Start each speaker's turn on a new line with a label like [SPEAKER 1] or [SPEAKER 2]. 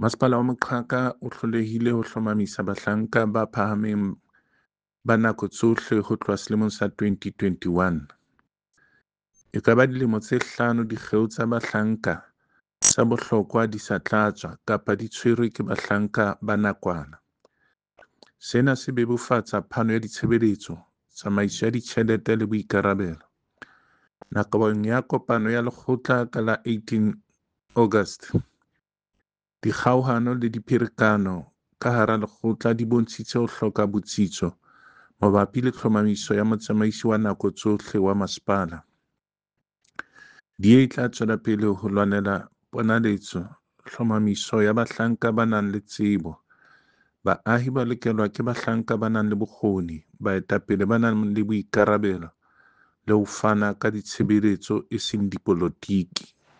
[SPEAKER 1] Masepala wa Moqhaka o hlolehile ho hlomamisa bahlanka ba phahameng ba nako tsohle ho tloha selemong sa 2021. E ka ba dilemo tse hlano dikgeo tsa bahlanka tsa bohlokwa di sa tlatswa kapa di tshwerwe ke bahlanka ba nakwana. Sena se bebofatsa phano ya ditshebeletso, tsamaiso ya ditjhelete le boikarabelo. Nakong ya kopano ya lekgotla ka la 18 August, dikgaohano le dipherekano ka hara lekgotla di bontshitse ho hloka botsitso mabapi le tlhomamiso ya motsamaisi wa nako tsohle wa masepala. DA e tla tswela pele ho lwanela ponaletso tlhomamiso ya bahlanka ba nang le tsebo. Baahi ba lokelwa ke bahlanka ba nang le bokgoni, baetapele ba nang le boikarabelo le ho fana ka ditshebeletso e seng dipolotiki.